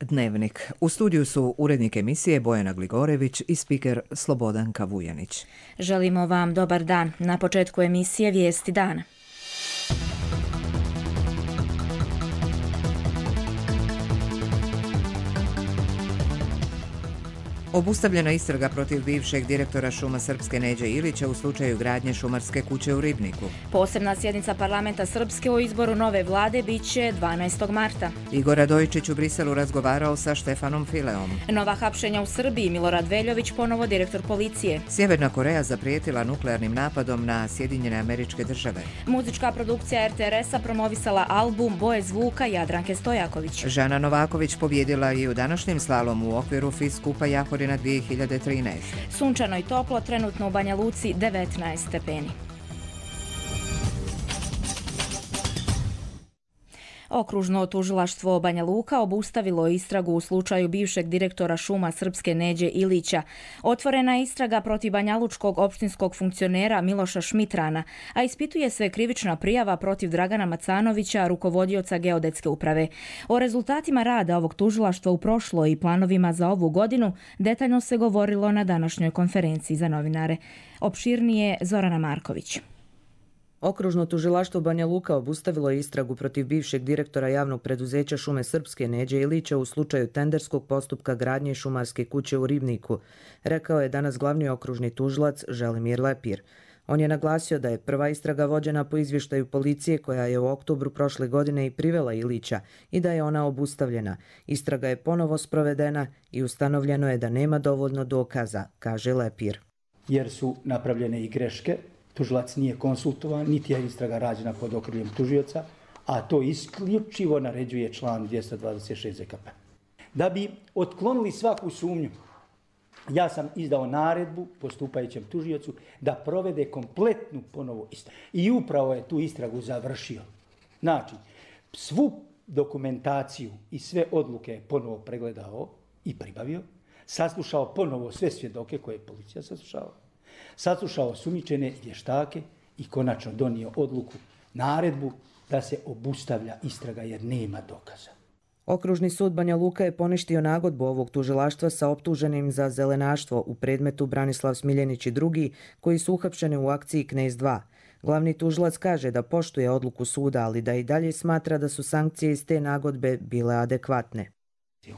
Dnevnik. U studiju su urednik emisije Bojana Gligorević i spiker Slobodanka Vujanić. Želimo vam dobar dan. Na početku emisije Vijesti dana. Obustavljena istraga protiv bivšeg direktora šuma Srpske Neđe Ilića u slučaju gradnje šumarske kuće u Ribniku. Posebna sjednica parlamenta Srpske o izboru nove vlade biće 12. marta. Igor Radojičić u Briselu razgovarao sa Štefanom Fileom. Nova hapšenja u Srbiji, Milorad Veljović ponovo direktor policije. Sjeverna Koreja zaprijetila nuklearnim napadom na Sjedinjene Američke Države. Muzička produkcija RTRS-a promovisala album Boje zvuka Jadranke Stojaković. Žana Novaković pobjedila i u današnjem slalomu u okviru FIS skupa Jahorina 2013. Sunčano i toplo, trenutno u Banja Luci 19 stepeni. Okružno tužilaštvo Banja Luka obustavilo istragu u slučaju bivšeg direktora šuma Srpske Neđe Ilića. Otvorena je istraga protiv banjalučkog opštinskog funkcionera Miloša Šmitrana, a ispituje se krivična prijava protiv Dragana Macanovića, rukovodioca Geodetske uprave. O rezultatima rada ovog tužilaštva u prošloj i planovima za ovu godinu detaljno se govorilo na današnjoj konferenciji za novinare. Opširnije Zorana Marković. Okružno tužilaštvo Banja Luka obustavilo je istragu protiv bivšeg direktora javnog preduzeća šume Srpske Neđe Ilića u slučaju tenderskog postupka gradnje šumarske kuće u Ribniku, rekao je danas glavni okružni tužilac Želimir Lepir. On je naglasio da je prva istraga vođena po izvještaju policije koja je u oktobru prošle godine i privela Ilića i da je ona obustavljena. Istraga je ponovo sprovedena i ustanovljeno je da nema dovoljno dokaza, kaže Lepir. Jer su napravljene i greške. Tužilac nije konsultovan, niti je istraga rađena pod okriljem tužioca, a to isključivo naređuje član 226 ZKP. Da bi otklonili svaku sumnju, ja sam izdao naredbu postupajućem tužiocu da provede kompletnu ponovo istragu. I upravo je tu istragu završio. Znači, svu dokumentaciju i sve odluke je ponovo pregledao i pribavio, saslušao ponovo sve svjedoke koje je policija saslušala, saslušao osumnjičene vještake i konačno donio odluku, naredbu da se obustavlja istraga jer nema dokaza. Okružni sud Banja Luka je poništio nagodbu ovog tužilaštva sa optuženim za zelenaštvo u predmetu Branislav Smiljenić i drugi koji su uhapšeni u akciji Knez 2. Glavni tužilac kaže da poštuje odluku suda, ali da i dalje smatra da su sankcije iz te nagodbe bile adekvatne.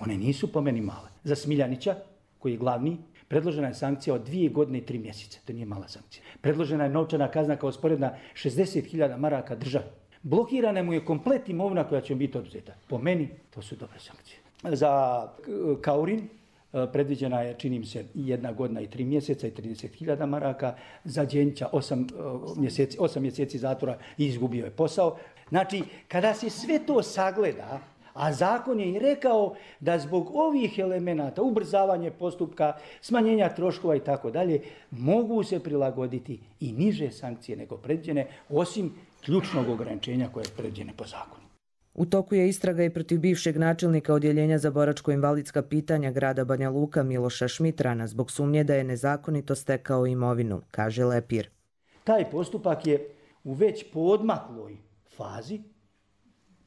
One nisu po meni male. Za Smiljanića, koji je glavni, predložena je sankcija od 2 godine i 3 mjeseca. To nije mala sankcija. Predložena je novčana kazna kao sporedna 60.000 maraka države. Blokirana mu je komplet imovina koja će biti oduzeta. Po meni to su dobre sankcije. Za Kaurin predviđena je, čini mi se, 1 godina i 3 mjeseca i 30.000 maraka. Za Đenjića 8 mjeseci zatvora i izgubio je posao. Znači, kada se sve to sagleda, a zakon je i rekao da zbog ovih elemenata, ubrzavanje postupka, smanjenja troškova i tako dalje, mogu se prilagoditi i niže sankcije nego predviđene, osim ključnog ograničenja koje je predviđene po zakonu. U toku je istraga i protiv bivšeg načelnika Odjeljenja za boračko-invalidska pitanja grada Banja Luka Miloša Šmitrana zbog sumnje da je nezakonito stekao imovinu, kaže Lepir. Taj postupak je u već poodmakloj fazi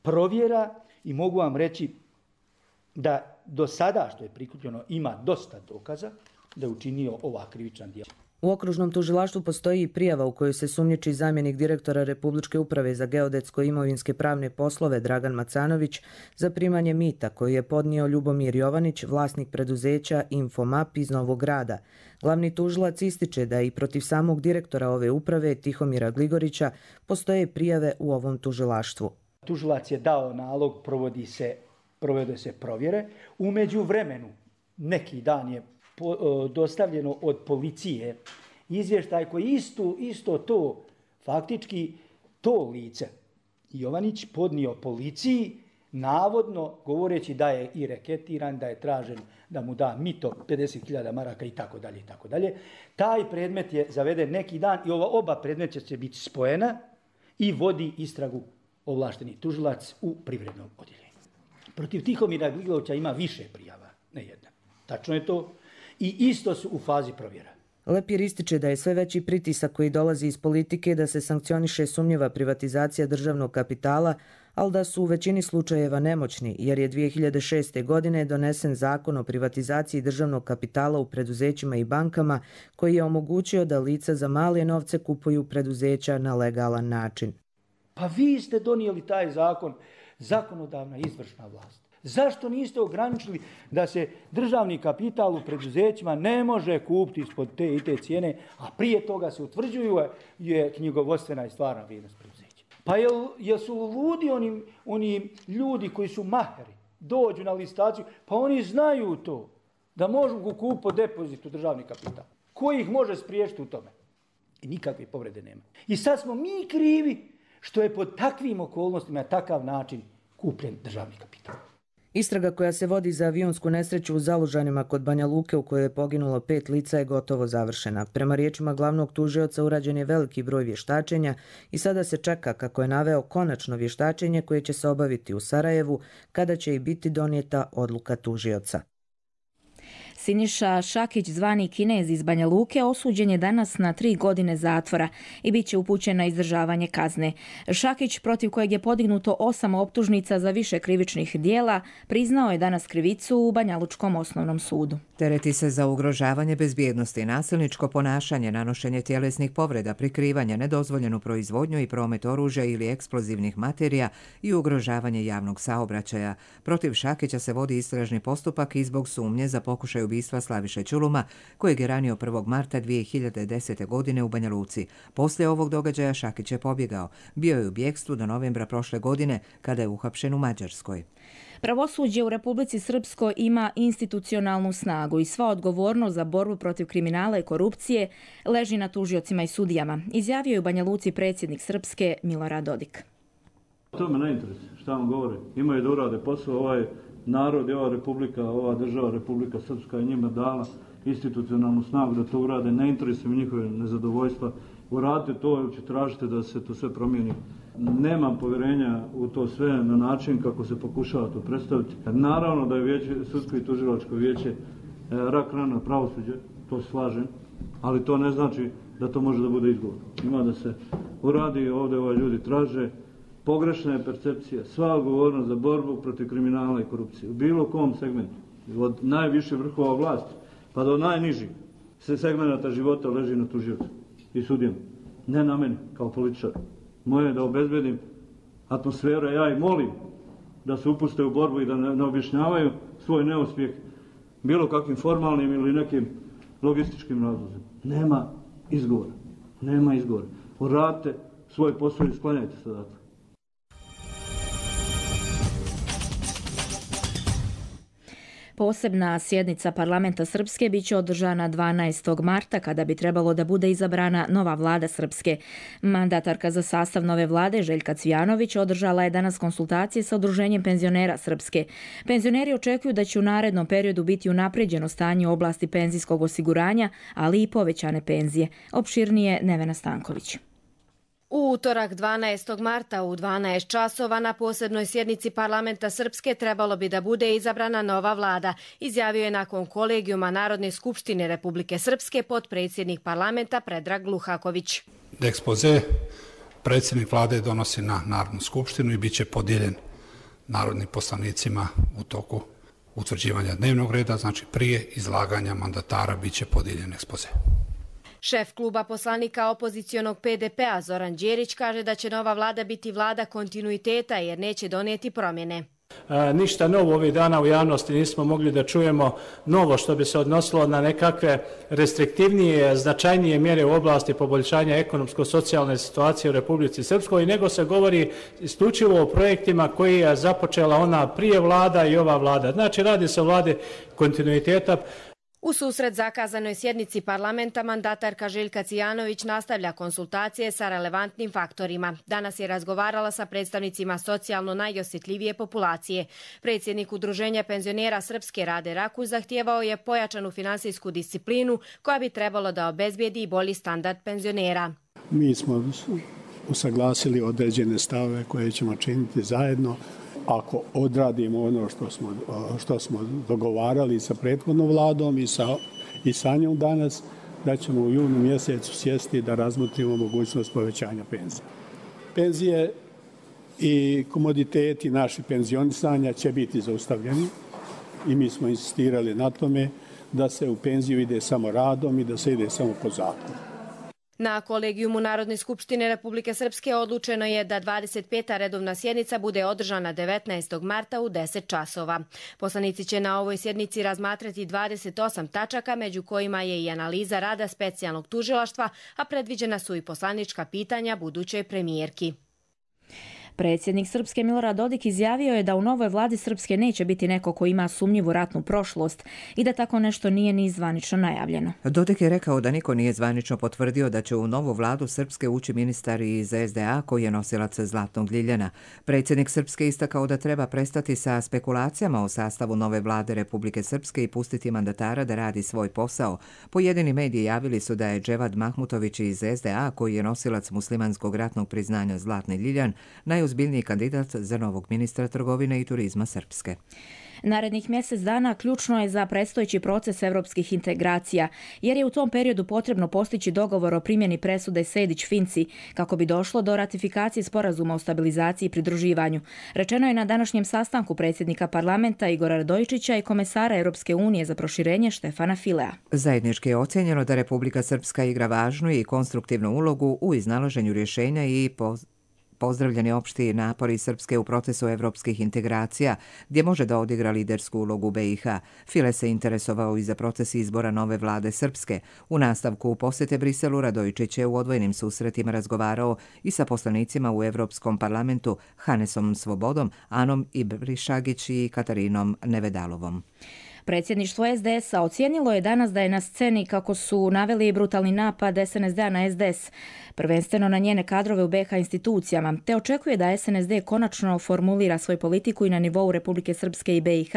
provjera i mogu vam reći da do sada što je prikupljeno ima dosta dokaza da je učinio ova krivična djela. U okružnom tužilaštvu postoji i prijava u kojoj se sumnjiči zamjenik direktora Republičke uprave za geodetsko-imovinske pravne poslove Dragan Macanović za primanje mita koju je podnio Ljubomir Jovanić, vlasnik preduzeća Infomap iz Novog Grada. Glavni tužilac ističe da i protiv samog direktora ove uprave Tihomira Gligorića postoje prijave u ovom tužilaštvu. Tužilac je dao nalog, provode se provjere. U međuvremenu, neki dan je dostavljeno od policije izvještaj koji isto to, faktički to lice Jovanić podnio policiji, navodno govoreći da je i reketiran, da je tražen da mu da mito 50.000 maraka i tako dalje. Taj predmet je zaveden neki dan i oba predmeta će biti spojena i vodi istragu ovlašteni tužilac u privrednom odjeljenju. Protiv Tihomira Gligovića ima više prijava, ne jedna. Tačno je to. I isto su u fazi provjera. Lepir ističe da je sve veći pritisak koji dolazi iz politike da se sankcioniše sumnjiva privatizacija državnog kapitala, ali da su u većini slučajeva nemoćni, jer je 2006. godine donesen zakon o privatizaciji državnog kapitala u preduzećima i bankama, koji je omogućio da lica za male novce kupuju preduzeća na legalan način. Pa vi ste donijeli taj zakon, zakonodavna izvršna vlast. Zašto niste ograničili da se državni kapital u preduzećima ne može kupiti ispod te i te cijene, a prije toga se utvrđuju je knjigovodstvena i stvarna vrijednost preduzeća? Pa jel su ludi oni ljudi koji su maheri, dođu na listaciju, pa oni znaju to, da mogu kupiti po depozitu državni kapital. Ko ih može spriječiti u tome? I nikakve povrede nema. I sad smo mi krivi što je pod takvim okolnostima na takav način kupljen državni kapital. Istraga koja se vodi za avionsku nesreću u Zalužanima kod Banja Luke u kojoj je poginulo 5 lica je gotovo završena. Prema riječima glavnog tužioca urađen je veliki broj vještačenja i sada se čeka, kako je naveo, konačno vještačenje koje će se obaviti u Sarajevu, kada će i biti donijeta odluka tužioca. Siniša Šakić, zvani Kinez iz Banja Luke, osuđen je danas na 3 godine zatvora i bit će upućen na izdržavanje kazne. Šakić, protiv kojeg je podignuto 8 optužnica za više krivičnih dijela, priznao je danas krivicu u Banjalučkom osnovnom sudu. Tereti se za ugrožavanje bezbjednosti, nasilničko ponašanje, nanošenje tjelesnih povreda, prikrivanje, nedozvoljenu proizvodnju i promet oružja ili eksplozivnih materija i ugrožavanje javnog saobraćaja. Protiv Šakića se vodi istražni postupak i zbog sumnje za pokušaj ubistva Slaviše Ćuluma, kojeg je ranio 1. marta 2010. godine u Banja Luci. Poslije ovog događaja Šakić je pobjegao. Bio je u bjegstvu do novembra prošle godine, kada je uhapšen u Mađarskoj. Pravosuđe u Republici Srpskoj ima institucionalnu snagu i sva odgovornost za borbu protiv kriminala i korupcije leži na tužiocima i sudijama, izjavio je u Banja Luci predsjednik Srpske Milorad Dodik. To me ne interesuje, šta vam govore. Imaju da urade posao, ovaj narod i ova republika, ova država, Republika Srpska je njima dala institucionalnu snagu da to urade. Ne interesuje mi njihove nezadovoljstva. Uradite to ili će tražiti da se to sve promijeni. Nemam povjerenja u to sve na način kako se pokušava to predstaviti. Naravno da je sudsko i tužilačko vijeće rak rana pravosuđe, to se slažem, ali to ne znači da to može da bude izgovor. Ima da se uradi, ovdje ljudi traže, pogrešna je percepcija, sva odgovornost za borbu protiv kriminala i korupcije. U bilo kom segmentu, od najviše vrhova vlasti pa do najnižih segmenta života leži na tužiocu i sudijama. Ne na meni kao političar. Moje je da obezbedim atmosferu, ja ih molim da se upuste u borbu i da ne objašnjavaju svoj neuspjeh bilo kakvim formalnim ili nekim logističkim razlozima. Nema izgovora. Nema izgovora. Uradite svoj posao i sklanjajte se odatle. Posebna sjednica parlamenta Srpske bit će održana 12. marta kada bi trebalo da bude izabrana nova vlada Srpske. Mandatarka za sastav nove vlade Željka Cvijanović održala je danas konsultacije sa Udruženjem penzionera Srpske. Penzioneri očekuju da će u narednom periodu biti unapređeno stanje u oblasti penzijskog osiguranja, ali i povećane penzije. Opširnije Nevena Stanković. U utorak 12. marta u 12 časova na posebnoj sjednici parlamenta Srpske trebalo bi da bude izabrana nova vlada, izjavio je nakon kolegijuma Narodne skupštine Republike Srpske potpredsjednik parlamenta Predrag Luhaković. Ekspoze predsjednik vlade donosi na Narodnu skupštinu i bit će podijeljen narodnim poslanicima u toku utvrđivanja dnevnog reda, znači prije izlaganja mandatara bit će podijeljen ekspoze. Šef kluba poslanika opozicionog PDP-a Zoran Đerić kaže da će nova vlada biti vlada kontinuiteta jer neće donijeti promjene. Ništa novo ovih dana u javnosti nismo mogli da čujemo novo što bi se odnosilo na nekakve restriktivnije, značajnije mjere u oblasti poboljšanja ekonomsko-socijalne situacije u Republici Srpskoj, nego se govori isključivo o projektima koji je započela ona prije vlada i ova vlada. Znači radi se o vladi kontinuiteta. U susret zakazanoj sjednici parlamenta mandatarka Željka Cvijanović nastavlja konsultacije sa relevantnim faktorima. Danas je razgovarala sa predstavnicima socijalno najosjetljivije populacije. Predsjednik Udruženja penzionera Srpske Rade Rakuš zahtijevao je pojačanu finansijsku disciplinu koja bi trebalo da obezbijedi i bolji standard penzionera. Mi smo usaglasili određene stavove koje ćemo činiti zajedno. Ako odradimo ono što smo dogovarali sa prethodnom vladom i sa njom danas, da ćemo u junu mjesecu sjesti da razmotrimo mogućnost povećanja penzije. Penzije i komoditeti naši penzionisanja će biti zaustavljeni i mi smo insistirali na tome da se u penziju ide samo radom i da se ide samo po zakonu. Na kolegijumu Narodne skupštine Republike Srpske odlučeno je da 25. redovna sjednica bude održana 19. marta u 10 časova. Poslanici će na ovoj sjednici razmatrati 28 tačaka, među kojima je i analiza rada specijalnog tužilaštva, a predviđena su i poslanička pitanja budućoj premijerki. Predsjednik Srpske Milorad Dodik izjavio je da u novoj vladi Srpske neće biti neko ko ima sumnjivu ratnu prošlost i da tako nešto nije ni zvanično najavljeno. Dodik je rekao da niko nije zvanično potvrdio da će u novu vladu Srpske ući ministar iz SDA koji je nosilac Zlatnog Ljiljana. Predsjednik Srpske istakao da treba prestati sa spekulacijama o sastavu nove vlade Republike Srpske i pustiti mandatara da radi svoj posao. Pojedini mediji javili su da je Dževad Mahmutović iz SDA, koji je nosilac muslimanskog ratnog priznanja Zlatni Ljiljan, najozbiljniji kandidat za novog ministra trgovine i turizma Srpske. Narednih mjesec dana ključno je za predstojeći proces evropskih integracija, jer je u tom periodu potrebno postići dogovor o primjeni presude Sejdić-Finci kako bi došlo do ratifikacije sporazuma o stabilizaciji i pridruživanju. Rečeno je na današnjem sastanku predsjednika parlamenta Igora Radojičića i komesara Europske unije za proširenje Štefana Filea. Zajednički je ocjenjeno da Republika Srpska igra važnu i konstruktivnu ulogu u iznalaženju rješenja i pozdravljeni opšti napori Srpske u procesu evropskih integracija, gdje može da odigra lidersku ulogu BiH. File se interesovao i za proces izbora nove vlade Srpske. U nastavku posjete Briselu Radojičić je u odvojenim susretima razgovarao i sa poslanicima u Evropskom parlamentu Hanesom Svobodom, Anom Ibrišagić i Katarinom Nevedalovom. Predsjedništvo SDS-a ocijenilo je danas da je na sceni, kako su naveli, brutalni napad SNSD-a na SDS, prvenstveno na njene kadrove u BiH institucijama, te očekuje da SNSD konačno formulira svoju politiku i na nivou Republike Srpske i BiH,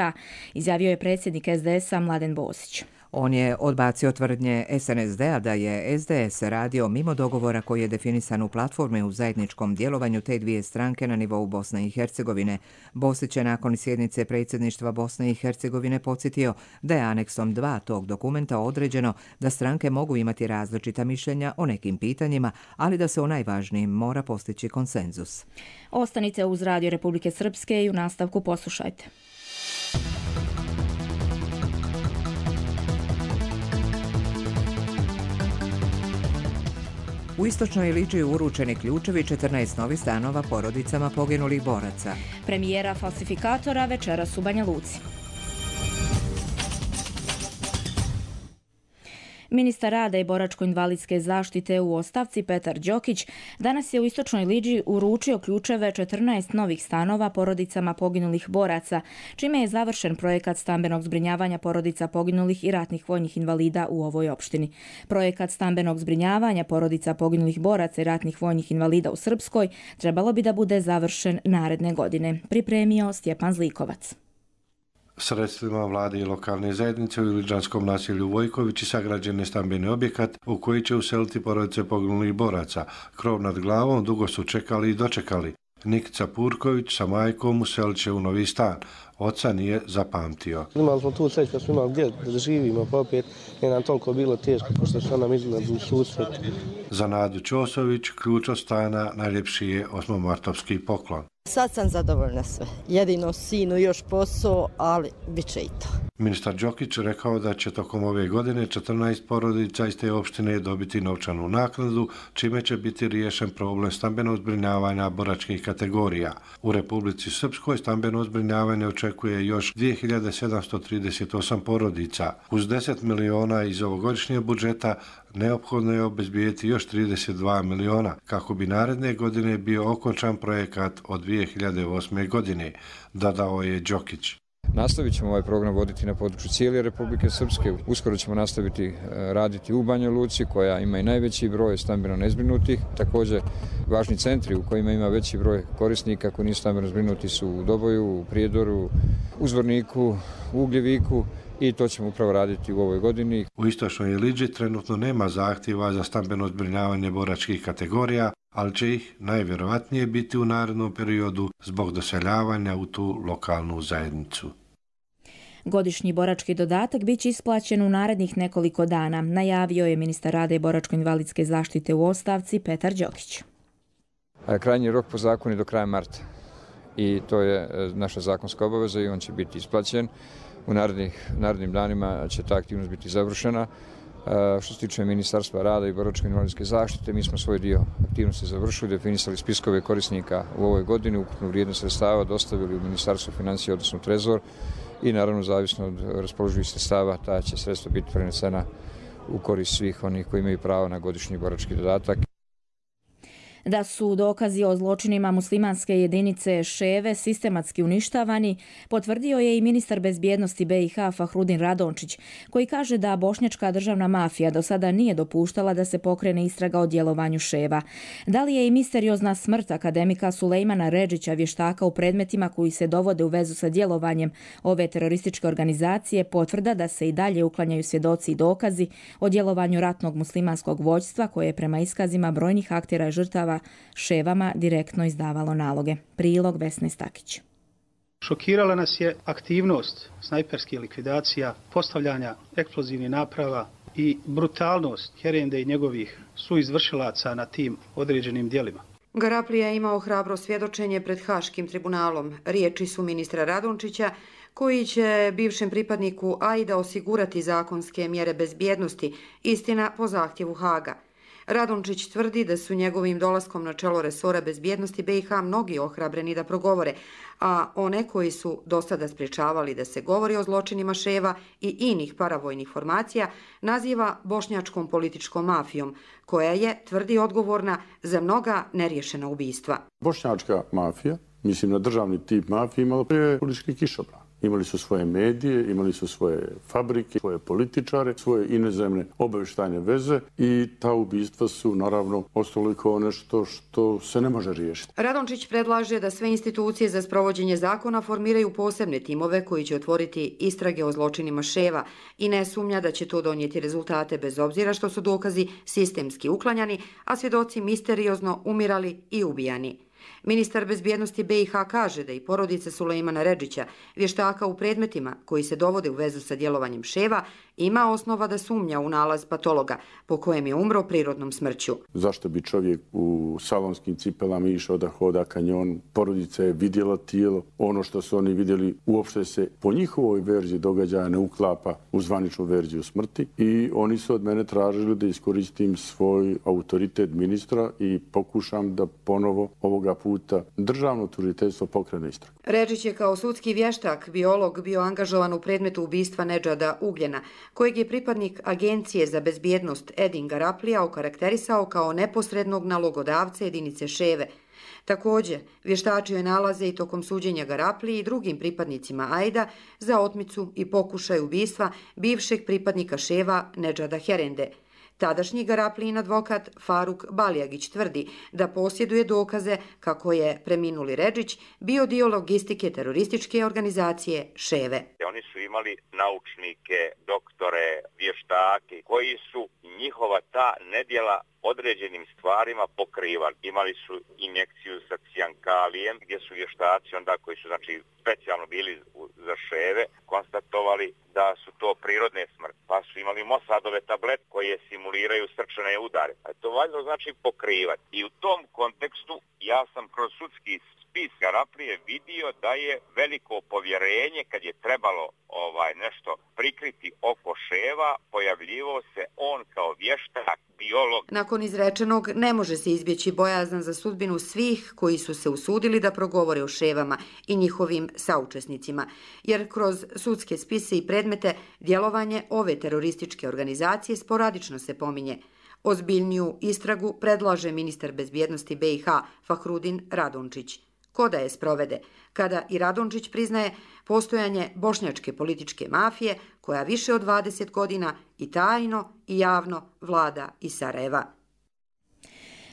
izjavio je predsjednik SDS-a Mladen Bosić. On je odbacio tvrdnje SNSD-a da je SDS radio mimo dogovora koji je definisan u platformi u zajedničkom djelovanju te dvije stranke na nivou Bosne i Hercegovine. Bosić je nakon sjednice predsjedništva Bosne i Hercegovine podsjetio da je aneksom 2 tog dokumenta određeno da stranke mogu imati različita mišljenja o nekim pitanjima, ali da se o najvažnijim mora postići konsenzus. Ostanite uz Radio Republike Srpske i u nastavku poslušajte. U istočnoj Iliđi uručeni ključevi 14 novih stanova porodicama poginulih boraca. Premijera falsifikatora večeras u Banja Luci. Ministar rada i boračko-invalidske zaštite u ostavci Petar Đokić danas je u istočnoj Iliđi uručio ključeve 14 novih stanova porodicama poginulih boraca, čime je završen projekat stambenog zbrinjavanja porodica poginulih i ratnih vojnih invalida u ovoj opštini. Projekat stambenog zbrinjavanja porodica poginulih boraca i ratnih vojnih invalida u Srpskoj trebalo bi da bude završen naredne godine, pripremio Stjepan Zlikovac. Sredstvima vlade i lokalne zajednice u iliđanskom naselju Vojkovići sagrađen je stambeni objekat u koji će useliti porodice poginulih boraca. Krov nad glavom dugo su čekali i dočekali. Nikica Purković sa majkom uselit će u novi stan. Oca nije zapamtio. Imali smo tu sreću da smo imali gdje da živimo, pa opet je nam toliko bilo teško, pošto što nam izgleda u susret. Za Nadu Ćosović ključ od stana najljepši je osmomartovski poklon. Sad sam zadovoljna sve. Jedino sinu još posao, ali bit će i to. Ministar Đokić rekao da će tokom ove godine 14 porodica iz te opštine dobiti novčanu naknadu, čime će biti riješen problem stambenog zbrinjavanja boračkih kategorija. U Republici Srpskoj stambeno zbrinjavanje očekuje još 2738 porodica. Uz 10 miliona iz ovogodišnjeg budžeta neophodno je obezbijeti još 32 miliona kako bi naredne godine bio okončan projekat od 2008. godine, dodao je Đokić. Nastavit ćemo ovaj program voditi na području cijele Republike Srpske. Uskoro ćemo nastaviti raditi u Banja Luci, koja ima i najveći broj stambeno nezbrinutih. Također, važni centri u kojima ima veći broj korisnika koji nisu stambeno zbrinuti su u Doboju, u Prijedoru, u Zvorniku, u Ugljeviku, i to ćemo upravo raditi u ovoj godini. U istočnoj Iliđi trenutno nema zahtjeva za stambeno zbrinjavanje boračkih kategorija, ali će ih najvjerovatnije biti u narednom periodu zbog doseljavanja u tu lokalnu zajednicu. Godišnji borački dodatak bit će isplaćen u narednih nekoliko dana, najavio je ministar rada i boračko-invalidske zaštite u ostavci Petar Đokić. Krajnji rok po zakonu je do kraja marta i to je naša zakonska obaveza i on će biti isplaćen. U narednim danima će ta aktivnost biti završena. Što se tiče Ministarstva rada i boračko-invalidske zaštite, mi smo svoj dio aktivnosti završili, definisali spiskove korisnika u ovoj godini, ukupnu vrijednost sredstava dostavili u Ministarstvo financija, odnosno Trezor i naravno zavisno od raspoloživih sredstava ta će sredstva biti prenesena u korist svih onih koji imaju pravo na godišnji borački dodatak. Da su dokazi o zločinima muslimanske jedinice Ševe sistematski uništavani, potvrdio je i ministar bezbjednosti BiH Fahrudin Radončić, koji kaže da bošnjačka državna mafija do sada nije dopuštala da se pokrene istraga o djelovanju Ševa. Da li je i misteriozna smrt akademika Sulejmana Redžića, vještaka u predmetima koji se dovode u vezu sa djelovanjem ove terorističke organizacije, potvrda da se i dalje uklanjaju svjedoci i dokazi o djelovanju ratnog muslimanskog vođstva koje je prema iskazima brojnih aktera i žrtava Ševama direktno izdavalo naloge. Prilog Vesne Stakić. Šokirala nas je aktivnost snajperskih likvidacija, postavljanja eksplozivnih naprava i brutalnost Herende i njegovih suizvršilaca na tim određenim djelima. Garaplija je imao hrabro svjedočenje pred Haškim tribunalom. Riječi su ministra Radončića, koji će bivšem pripadniku AIDA osigurati zakonske mjere bezbjednosti, istina po zahtjevu Haga. Radončić tvrdi da su njegovim dolaskom na čelo resora bezbjednosti BiH mnogi ohrabreni da progovore, a one koji su do sada sprječavali da se govori o zločinima Ševa i inih paravojnih formacija naziva bošnjačkom političkom mafijom, koja je, tvrdi, odgovorna za mnoga neriješena ubistva. Bošnjačka mafija, mislim na državni tip mafije, imala prije politički kišobran. Imali su svoje medije, imali su svoje fabrike, svoje političare, svoje inozemne obavještajne veze i ta ubistva su naravno ostalo kao nešto što se ne može riješiti. Radončić predlaže da sve institucije za sprovođenje zakona formiraju posebne timove koji će otvoriti istrage o zločinima Ševa i ne sumnja da će to donijeti rezultate bez obzira što su dokazi sistemski uklanjani, a svjedoci misteriozno umirali i ubijani. Ministar bezbjednosti BiH kaže da i porodica Sulejmana Redžića, vještaka u predmetima koji se dovode u vezu sa djelovanjem Ševa, ima osnova da sumnja u nalaz patologa po kojem je umro prirodnom smrću. Zašto bi čovjek u salonskim cipelama išao da hoda kanjon? Porodica je vidjela tijelo. Ono što su oni vidjeli uopšte se po njihovoj verziji događaja ne uklapa u zvaničnu verziju smrti i oni su od mene tražili da iskoristim svoj autoritet ministra i pokušam da ponovo ovoga puta državno tužiteljstvo pokrene istragu. Redžić je kao sudski vještak, biolog, bio angažovan u predmetu ubistva Nedžada Ugljena, kojeg je pripadnik Agencije za bezbjednost Edin Garaplija okarakterisao kao neposrednog nalogodavca jedinice Ševe. Također, vještačio je nalaze i tokom suđenja Garapliji i drugim pripadnicima AIDA za otmicu i pokušaj ubistva bivšeg pripadnika Ševa Nedžada Herende. Tadašnji Garaplijin advokat Faruk Baljagić tvrdi da posjeduje dokaze kako je preminuli Redžić bio dio logistike terorističke organizacije Ševe. Oni su imali naučnike, doktore, vještake koji su njihova ta nedjela određenim stvarima pokrivali. Imali su injekciju sa cijankalijem gdje su vještaci onda koji su specijalno bili za Ševe konstatovali da su to prirodne smrti. Pa su imali Mossadove tablete koje simuliraju srčane udare. A to valjda znači pokrivati. I u tom kontekstu ja sam kroz sudski spis Garaplije vidio da je veliko povjerenje kad je trebalo nešto prikriti oko Ševa, pojavljivao se on kao vještak, biolog. Nakon izrečenog ne može se izbjeći bojazan za sudbinu svih koji su se usudili da progovore o Ševama i njihovim saučesnicima, jer kroz sudske spise i predmete djelovanje ove terorističke organizacije sporadično se pominje. Ozbiljniju istragu predlaže ministar bezbjednosti BiH Fahrudin Radončić. Ko da je sprovede, kada i Radončić priznaje postojanje bošnjačke političke mafije koja više od 20 godina i tajno i javno vlada iz Sarajeva.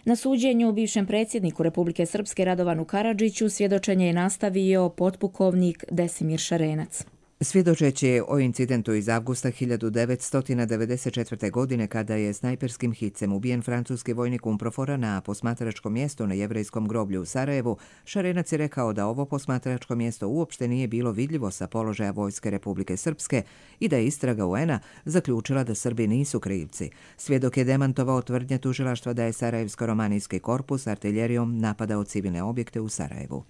Na suđenju bivšem predsjedniku Republike Srpske Radovanu Karadžiću svjedočenje je nastavio potpukovnik Desimir Šarenac. Svjedočeći o incidentu iz avgusta 1994. godine kada je snajperskim hicem ubijen francuski vojnik Umprofora na posmatračkom mjestu na jevrejskom groblju u Sarajevu, Šarenac je rekao da ovo posmatračko mjesto uopšte nije bilo vidljivo sa položaja Vojske Republike Srpske i da je istraga UN-a zaključila da Srbi nisu krivci. Svjedok je demantovao tvrdnje tužilaštva da je Sarajevsko-romanijski korpus artiljerijom napadao civilne objekte u Sarajevu.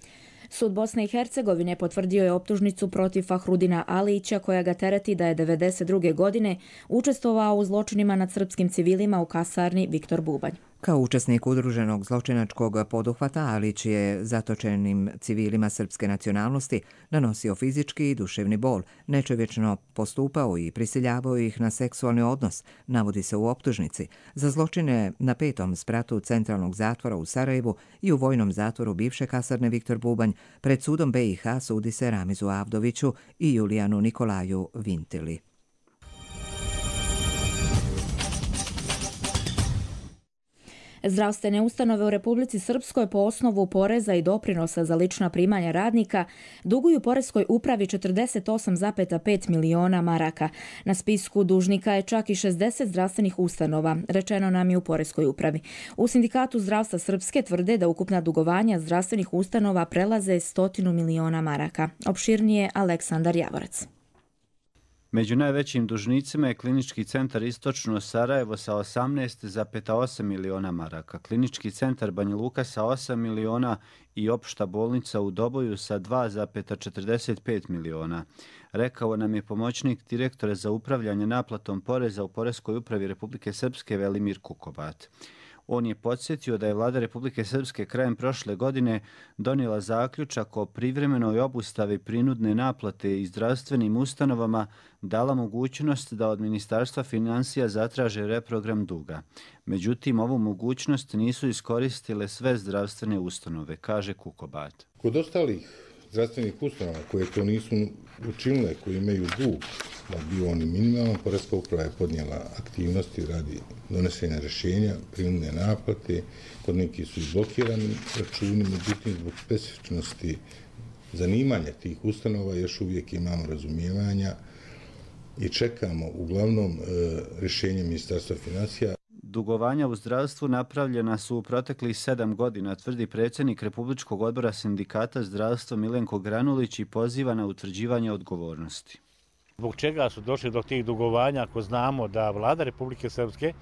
Sud Bosne i Hercegovine potvrdio je optužnicu protiv Fahrudina Alića koja ga tereti da je 1992. godine učestvovao u zločinima nad srpskim civilima u kasarni Viktor Bubanj. Kao učesnik udruženog zločinačkog poduhvata, Alić je zatočenim civilima srpske nacionalnosti nanosio fizički i duševni bol, nečovječno postupao i prisiljavao ih na seksualni odnos, navodi se u optužnici. Za zločine na 5. spratu centralnog zatvora u Sarajevu i u vojnom zatvoru bivše kasarne Viktor Bubanj pred sudom BiH sudi se Ramizu Avdoviću i Julijanu Nikolaju Vintili. Zdravstvene ustanove u Republici Srpskoj po osnovu poreza i doprinosa za lična primanja radnika duguju poreskoj upravi 48,5 miliona maraka. Na spisku dužnika je čak i 60 zdravstvenih ustanova, rečeno nam je u poreskoj upravi. U Sindikatu zdravstva Srpske tvrde da ukupna dugovanja zdravstvenih ustanova prelaze 100 miliona maraka. Opširnije Aleksandar Javorac. Među najvećim dužnicima je Klinički centar Istočno Sarajevo sa 18,8 miliona maraka, Klinički centar Banja Luka sa 8 miliona i Opšta bolnica u Doboju sa 2,45 miliona. Rekao nam je pomoćnik direktora za upravljanje naplatom poreza u Poreskoj upravi Republike Srpske Velimir Kukobat. On je podsjetio da je Vlada Republike Srpske krajem prošle godine donijela zaključak o privremenoj obustavi prinudne naplate i zdravstvenim ustanovama, dala mogućnost da od Ministarstva financija zatraže reprogram duga. Međutim, ovu mogućnost nisu iskoristile sve zdravstvene ustanove, kaže Kukobat. Kod ostalih zdravstvenih ustanova koje to nisu učinile, koji imaju dug, da bio on i minimalan, Poreska uprava je podnijela aktivnosti radi donesenja rješenja, prinudne naplate, kod neki su i blokirani računi, međutim zbog specifičnosti zanimanja tih ustanova još uvijek imamo razumijevanja i čekamo uglavnom rješenje Ministarstva financija. Dugovanja u zdravstvu napravljena su u proteklih 7 godina, tvrdi predsjednik Republičkog odbora Sindikata zdravstva Milenko Granulić i poziva na utvrđivanje odgovornosti. Zbog čega su došli do tih dugovanja ako znamo da Vlada Republike Srpske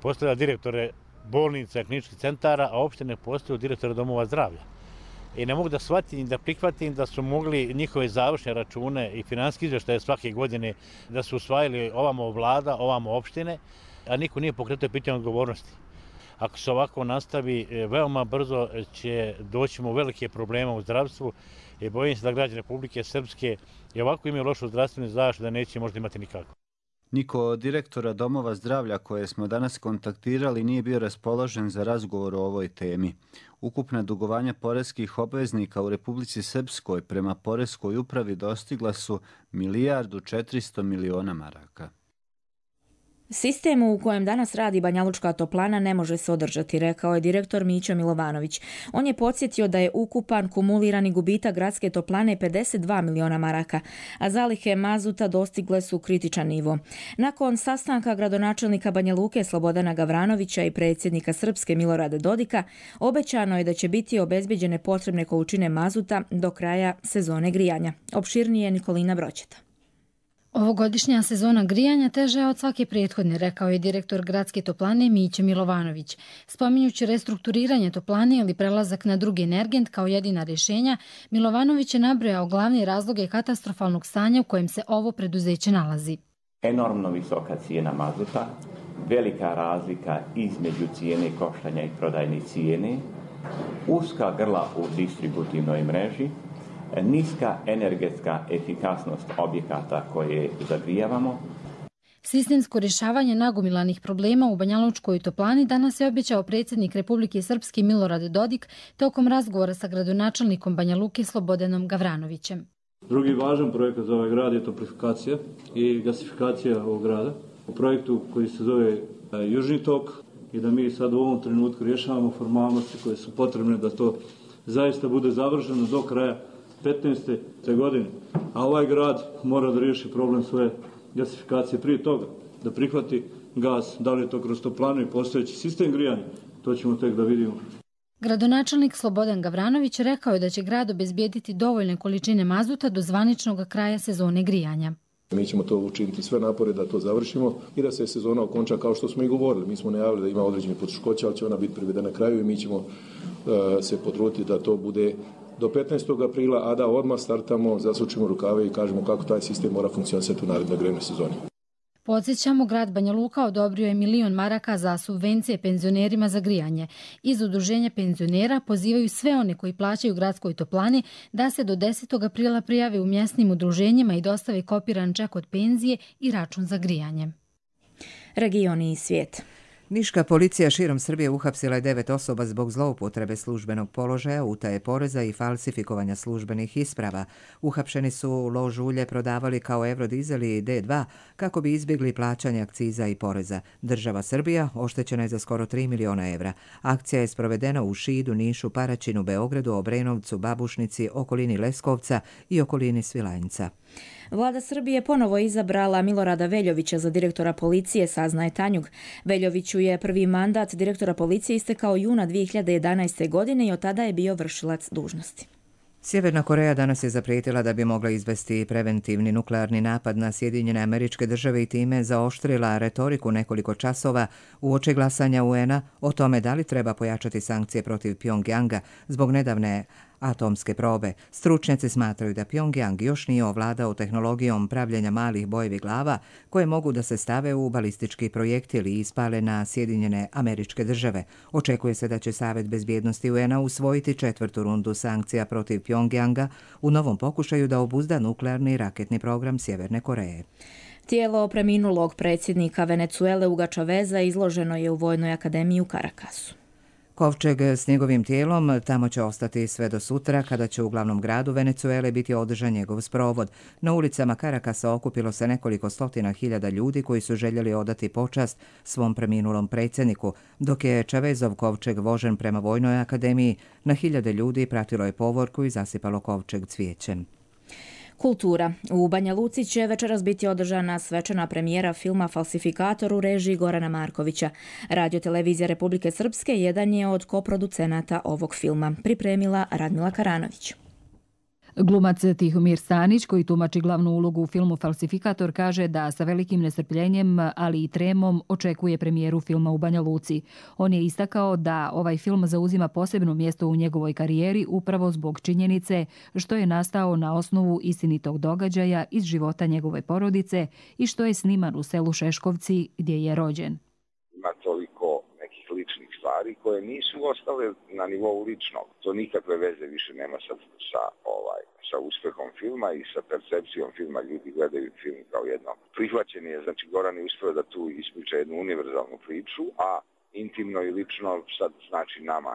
postavlja direktore bolnica i kliničkih centara, a opštine postavljaju direktore domova zdravlja. I ne mogu da shvatim i da prihvatim da su mogli njihove završne račune i finansijske izvještaje svake godine da su usvajali ovamo vlada, ovamo opštine, a niko nije pokretao pitanje odgovornosti. Ako se ovako nastavi, veoma brzo će doći u velike probleme u zdravstvu i bojim se da građani Republike Srpske i ovako imaju lošu zdravstvenu zaštitu da neće možda imati nikako. Niko od direktora domova zdravlja koje smo danas kontaktirali nije bio raspoložen za razgovor o ovoj temi. Ukupna dugovanja poreskih obveznika u Republici Srpskoj prema Poreskoj upravi dostigla su 1,4 milijarde maraka. Sistem u kojem danas radi Banjalučka toplana ne može se održati, rekao je direktor Mićo Milovanović. On je podsjetio da je ukupan kumulirani gubitak gradske toplane 52 miliona maraka, a zalihe mazuta dostigle su kritičan nivo. Nakon sastanka gradonačelnika Banja Luke Slobodana Gavranovića i predsjednika Srpske Milorada Dodika, obećano je da će biti obezbeđene potrebne količine mazuta do kraja sezone grijanja. Opširnije Nikolina Broćeta. Ovogodišnja sezona grijanja teža je od svake prethodne, rekao je direktor gradske toplane Mićo Milovanović. Spominjući restrukturiranje toplane ili prelazak na drugi energent kao jedina rješenja, Milovanović je nabrojao glavne razloge katastrofalnog stanja u kojem se ovo preduzeće nalazi. Enormno visoka cijena mazuta, velika razlika između cijene koštanja i prodajne cijene, uska grla u distributivnoj mreži, niska energetska efikasnost objekata koje zagrijavamo. Sistemsko rješavanje nagomilanih problema u Banjalučkoj toplani danas je obećao predsjednik Republike Srpske Milorad Dodik tokom razgovora sa gradonačelnikom Banja Luke Slobodanom Gavranovićem. Drugi važan projekat za ovaj grad je toplifikacija i gasifikacija ovog grada. U projektu koji se zove Južni tok i da mi sad u ovom trenutku rješavamo formalnosti koje su potrebne da to zaista bude završeno do kraja 2015. godine. A ovaj grad mora da riješi problem svoje gasifikacije prije toga, da prihvati gas, da li je to kroz toplanu i postojeći sistem grijanja, to ćemo tek da vidimo. Gradonačelnik Slobodan Gavranović rekao je da će grad obezbijediti dovoljne količine mazuta do zvaničnog kraja sezone grijanja. Mi ćemo to učiniti sve napore da to završimo i da se sezona okonča kao što smo i govorili. Mi smo najavili da ima određeni poteškoća, ali će ona biti privedena kraju i mi ćemo se potruditi da to bude do 15. aprila, a da odmah startamo, zasučimo rukave i kažemo kako taj sistem mora funkcionisati u narednoj grejnoj sezoni. Podsjećamo, grad Banja Luka odobrio je 1 milion maraka za subvencije penzionerima za grijanje. Iz udruženja penzionera pozivaju sve one koji plaćaju gradskoj toplani da se do 10. aprila prijave u mjesnim udruženjima i dostave kopiran ček od penzije i račun za grijanje. Regioni i svijet. Niška policija širom Srbije uhapsila je 9 osoba zbog zloupotrebe službenog položaja, utaje poreza i falsifikovanja službenih isprava. Uhapšeni su lož ulje prodavali kao Eurodizel i D2 kako bi izbjegli plaćanje akciza i poreza. Država Srbija oštećena je za skoro 3 miliona evra. Akcija je sprovedena u Šidu, Nišu, Paraćinu, Beogradu, Obrenovcu, Babušnici, okolini Leskovca i okolini Svilajnca. Vlada Srbije ponovo izabrala Milorada Veljovića za direktora policije, saznaje Tanjug. Veljoviću je prvi mandat direktora policije istekao juna 2011. godine i od tada je bio vršilac dužnosti. Sjeverna Koreja danas je zaprijetila da bi mogla izvesti preventivni nuklearni napad na Sjedinjene Američke Države i time zaoštrila retoriku nekoliko časova uoči glasanja UN-a o tome da li treba pojačati sankcije protiv Pjongjanga zbog nedavne atomske probe. Stručnjaci smatraju da Pjongjang još nije ovladao tehnologijom pravljenja malih bojevih glava koje mogu da se stave u balistički projektil i ispale na Sjedinjene Američke Države. Očekuje se da će Savet bezbjednosti UN-a usvojiti 4. rundu sankcija protiv Pjongjanga u novom pokušaju da obuzda nuklearni raketni program Sjeverne Koreje. Tijelo preminulog predsjednika Venecuele Huga Chaveza izloženo je u Vojnoj akademiji u Karakasu. Kovčeg s njegovim tijelom tamo će ostati sve do sutra, kada će u glavnom gradu Venecuele biti održan njegov sprovod. Na ulicama Karakasa okupilo se nekoliko stotina hiljada ljudi koji su željeli odati počast svom preminulom predsjedniku. Dok je Chavezov kovčeg vožen prema Vojnoj akademiji, na hiljade ljudi pratilo je povorku i zasipalo kovčeg cvijećem. Kultura. U Banja Luci će večeras biti održana svečana premijera filma Falsifikator u režiji Gorana Markovića. Radio-televizija Republike Srpske jedan je od koproducenata ovog filma. Pripremila Radmila Karanović. Glumac Tihomir Stanić, koji tumači glavnu ulogu u filmu Falsifikator, kaže da sa velikim nestrpljenjem, ali i tremom, očekuje premijeru filma u Banja Luci. On je istakao da ovaj film zauzima posebno mjesto u njegovoj karijeri upravo zbog činjenice što je nastao na osnovu istinitog događaja iz života njegove porodice i što je sniman u selu Šeškovci gdje je rođen. Ima toliko nekih ličnih stvari koje nisu ostale na nivou ličnog. To nikakve veze više nema sa uspehom filma i sa percepcijom filma. Ljudi gledaju film kao jedno prihvaćenje. Znači, Goran je uspio da tu ispriča jednu univerzalnu priču, a intimno i lično sad znači nama.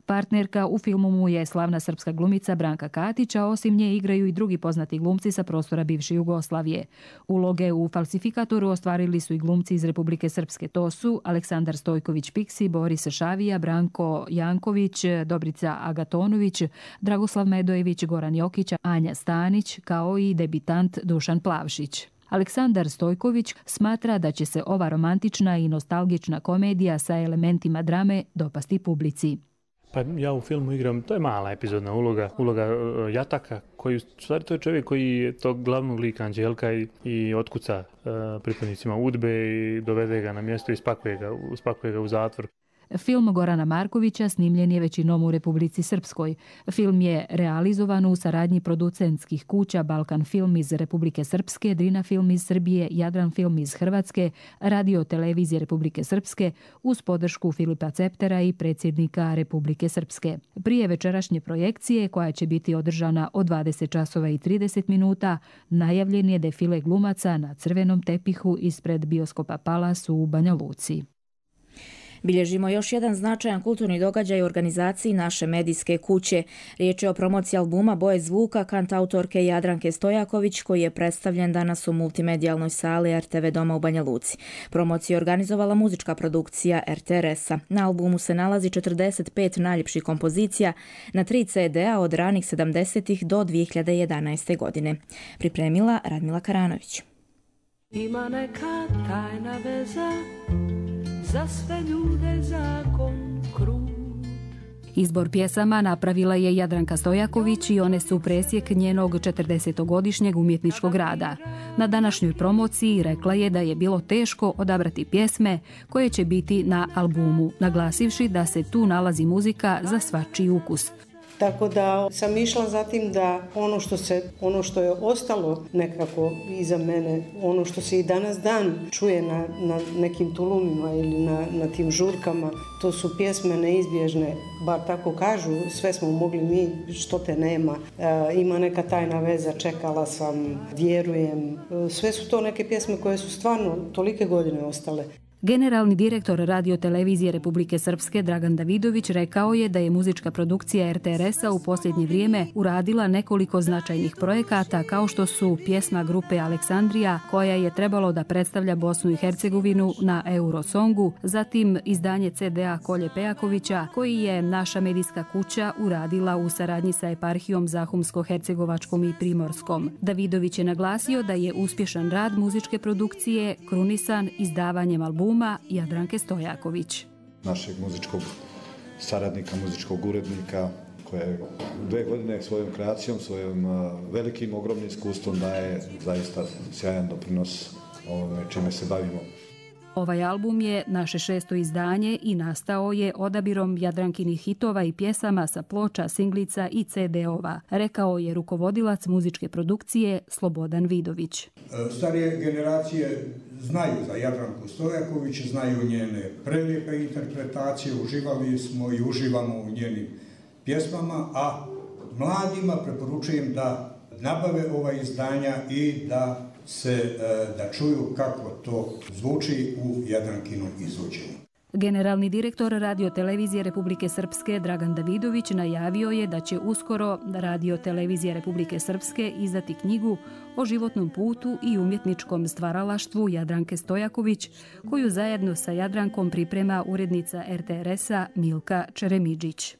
Partnerka u filmu mu je slavna srpska glumica Branka Katić, a osim nje igraju i drugi poznati glumci sa prostora bivše Jugoslavije. Uloge u Falsifikatoru ostvarili su i glumci iz Republike Srpske. To su Aleksandar Stojković-Piksi, Boris Šavija, Branko Janković, Dobrica Agatonović, Dragoslav Medojević, Goran Jokić, Anja Stanić, kao i debitant Dušan Plavšić. Aleksandar Stojković smatra da će se ova romantična i nostalgična komedija sa elementima drame dopasti publici. Pa ja u filmu igram, to je mala epizodna uloga Jataka, koji u stvari to je čovjek koji je tog glavnog lika Anđelka i otkuca pripadnicima UDBE i dovede ga na mjesto i spakuje ga u zatvor. Film Gorana Markovića snimljen je većinom u Republici Srpskoj. Film je realizovan u saradnji producentskih kuća Balkan Film iz Republike Srpske, Drina Film iz Srbije, Jadran Film iz Hrvatske, Radio-televizije Republike Srpske uz podršku Filipa Ceptera i predsjednika Republike Srpske. Prije večerašnje projekcije, koja će biti održana od 20 časova i 30 minuta, najavljen je defile glumaca na crvenom tepihu ispred bioskopa Palas u Banja Luci. Bilježimo još jedan značajan kulturni događaj u organizaciji naše medijske kuće. Riječ je o promociji albuma Boje zvuka kantautorke Jadranke Stojaković koji je predstavljen danas u multimedijalnoj sali RTV Doma u Banja Luci. Promociju je organizovala muzička produkcija RTRS-a. Na albumu se nalazi 45 najljepših kompozicija na 3 CD-a od ranih 70-ih do 2011. godine. Pripremila Radmila Karanović. Ima neka tajna veza za sve ljude zakon krut. Izbor pjesama napravila je Jadranka Stojaković i one su presjek njenog 40-godišnjeg umjetničkog rada. Na današnjoj promociji rekla je da je bilo teško odabrati pjesme koje će biti na albumu, naglasivši da se tu nalazi muzika za svačiji ukus. Tako da sam išla za tim da ono što je ostalo nekako iza mene, ono što se i danas dan čuje na nekim tulumima ili na tim žurkama, to su pjesme neizbježne, bar tako kažu, sve smo mogli mi, što te nema, ima neka tajna veza, čekala sam, vjerujem, sve su to neke pjesme koje su stvarno tolike godine ostale. Generalni direktor radiotelevizije Republike Srpske Dragan Davidović rekao je da je muzička produkcija RTRS-a u posljednje vrijeme uradila nekoliko značajnih projekata kao što su pjesma grupe Aleksandrija koja je trebalo da predstavlja Bosnu i Hercegovinu na Eurosongu, zatim izdanje CD-a Kolje Pejakovića koji je naša medijska kuća uradila u saradnji sa eparhijom Zahumsko-Hercegovačkom i Primorskom. Davidović je naglasio da je uspješan rad muzičke produkcije krunisan izdavanjem albuma Jadranke Stojaković. Našeg muzičkog saradnika, muzičkog urednika koja je 2 godine svojom kreacijom, svojim velikim, ogromnim iskustvom daje zaista sjajan doprinos ovome čime se bavimo. Ovaj album je naše 6. izdanje i nastao je odabirom Jadrankinih hitova i pjesama sa ploča, singlica i CD-ova, rekao je rukovodilac muzičke produkcije Slobodan Vidović. Starije generacije znaju za Jadranku Stojaković, znaju njene prelijepe interpretacije, uživali smo i uživamo u njenim pjesmama, a mladima preporučujem da nabave ova izdanja i da čuju kako to zvuči u Jadrankinom izvođenju. Generalni direktor radiotelevizije Republike Srpske Dragan Davidović najavio je da će uskoro radiotelevizija Republike Srpske izdati knjigu o životnom putu i umjetničkom stvaralaštvu Jadranke Stojaković, koju zajedno sa Jadrankom priprema urednica RTRS-a Milka Čeremidžić.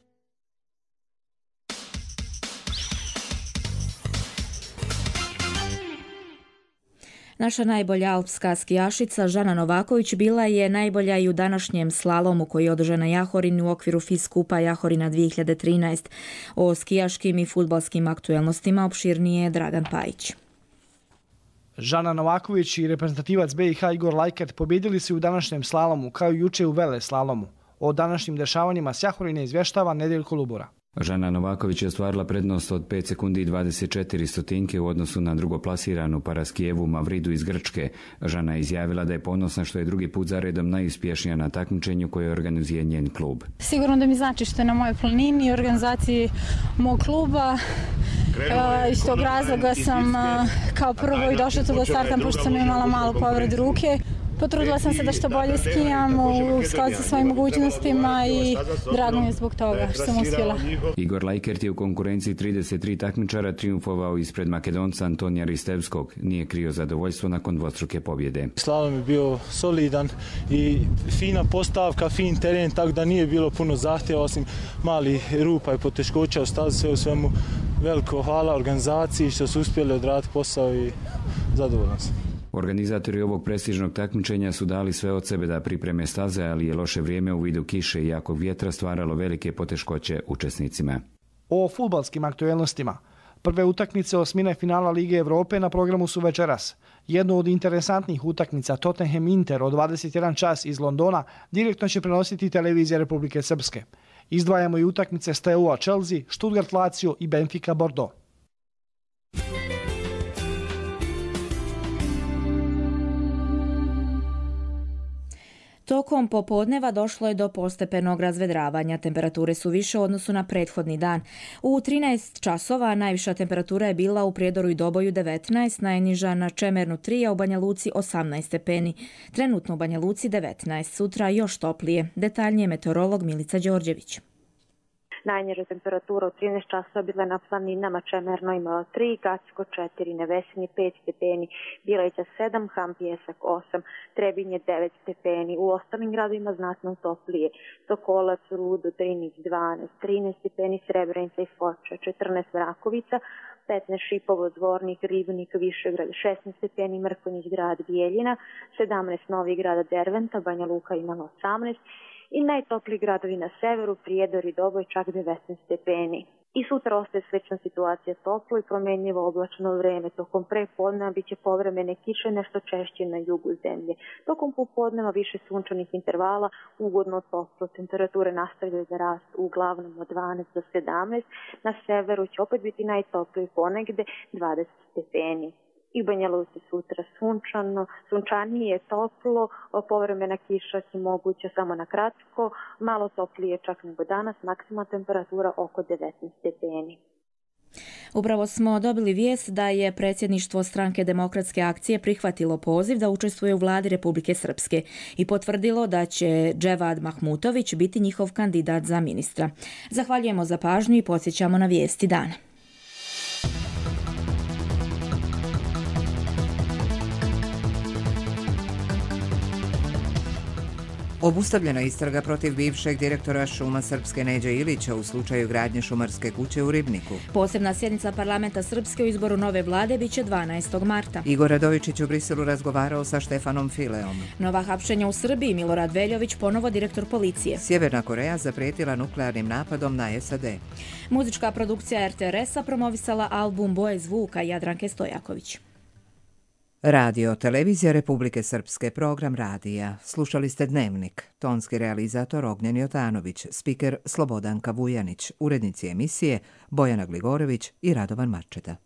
Naša najbolja alpska skijašica Žana Novaković bila je najbolja i u današnjem slalomu koji je održan na Jahorini u okviru FIS skupa Jahorina 2013. O skijaškim i fudbalskim aktuelnostima opširnije je Dragan Pajić. Žana Novaković i reprezentativac BiH Igor Lajkert pobjedili su u današnjem slalomu kao i juče u vele slalomu. O današnjim dešavanjima s Jahorine izvještava Nedeljko Lubura. Žana Novaković je ostvarila prednost od 5 sekundi i 24 stotinke u odnosu na drugoplasiranu Paraskijevu Mavridu iz Grčke. Žana je izjavila da je ponosna što je drugi put za redom najuspješnija na takmičenju koje organizuje njen klub. Sigurno da mi znači što je na mojoj planini i organizaciji mog kluba. Iz tog razloga sam kao prvo i došla tu da startam pošto sam imala malu povredu ruke. Potrudila sam se da što bolje skijam u skladu sa svojim mogućnostima i drago mi je zbog toga što sam uspjela. Igor Lajkert je u konkurenciji 33 takmičara triumfovao ispred Makedonca Antonija Ristevskog. Nije krio zadovoljstvo nakon dvostruke pobjede. Slalom je bio solidan i fina postavka, fin teren, tako da nije bilo puno zahtjeva osim mali rupa i poteškoća u stazi. Sve u svemu veliko hvala organizaciji što su uspjeli odraditi posao i zadovoljan sam. Organizatori ovog prestižnog takmičenja su dali sve od sebe da pripreme staze, ali je loše vrijeme u vidu kiše i jakog vjetra stvaralo velike poteškoće učesnicima. O fudbalskim aktuelnostima. Prve utakmice osmine finala Lige Evrope na programu su večeras. Jednu od interesantnih utakmica Tottenham Inter od 21 čas iz Londona direktno će prenositi televizija Republike Srpske. Izdvajamo i utakmice Steaua Chelsea, Stuttgart Lazio i Benfica Bordeaux. Tokom popodneva došlo je do postepenog razvedravanja. Temperature su više u odnosu na prethodni dan. U 13 časova najviša temperatura je bila u Prijedoru i Doboju 19, najniža na Čemernu 3, a u Banja Luci 18 stepeni. Trenutno u Banja Luci 19, sutra još toplije. Detaljnije meteorolog Milica Đorđević. Najniža temperatura u 13 časova bila na planinama Čemerno imala 3, Gacko 4, Nevesinje 5 stepeni, Bileća 7, Ham Pjesak 8, Trebinje 9 stepeni. U ostalim gradovima znatno toplije. Sokolac, Rudo, Drinić 12, 13 stepeni, Srebrenica i Foča, 14 Vrakovica, 15 Šipovo, Zvornik, Ribnik, Višegrad, 16 stepeni, Mrkonjić grad, Bijeljina, 17 Novi grada, Derventa, Banja Luka imala 18, i najtopliji gradovi na severu, Prijedor i Doboj, čak 19 stepeni. I sutra ostaje slična situacija, toplo i promjenjivo oblačno vreme. Tokom prepodneva bit će povremene kiše, nešto češće na jugu zemlje. Tokom popodneva više sunčanih intervala, ugodno toplo. Temperature nastavljaju da rastu uglavnom od 12 do 17. Na severu će opet biti najtopliji, ponegde 20 stepeni. I Banja Luci sutra sunčanije, toplo, povremena kiša će moguća samo na kratko, malo toplije čak nego danas, maksimalna temperatura oko 19 stepeni. Upravo smo dobili vijest da je predsjedništvo Stranke demokratske akcije prihvatilo poziv da učestvuje u vladi Republike Srpske i potvrdilo da će Dževad Mahmutović biti njihov kandidat za ministra. Zahvaljujemo za pažnju i podsjećamo na vijesti dana. Obustavljena istraga protiv bivšeg direktora šuma Srpske Neđe Ilića u slučaju gradnje šumarske kuće u Ribniku. Posebna sjednica parlamenta Srpske o izboru nove vlade biće 12. marta. Igor Radovičić u Briselu razgovarao sa Štefanom Fileom. Nova hapšenja u Srbiji, Milorad Veljović ponovo direktor policije. Sjeverna Koreja zaprijetila nuklearnim napadom na SAD. Muzička produkcija RTRS-a promovisala album Boje zvuka Jadranke Stojaković. Radio, televizija Republike Srpske, program radija. Slušali ste Dnevnik. Tonski realizator Ognjen Jotanović, spiker Slobodanka Vujanić, urednici emisije Bojana Gligorević i Radovan Marčeta.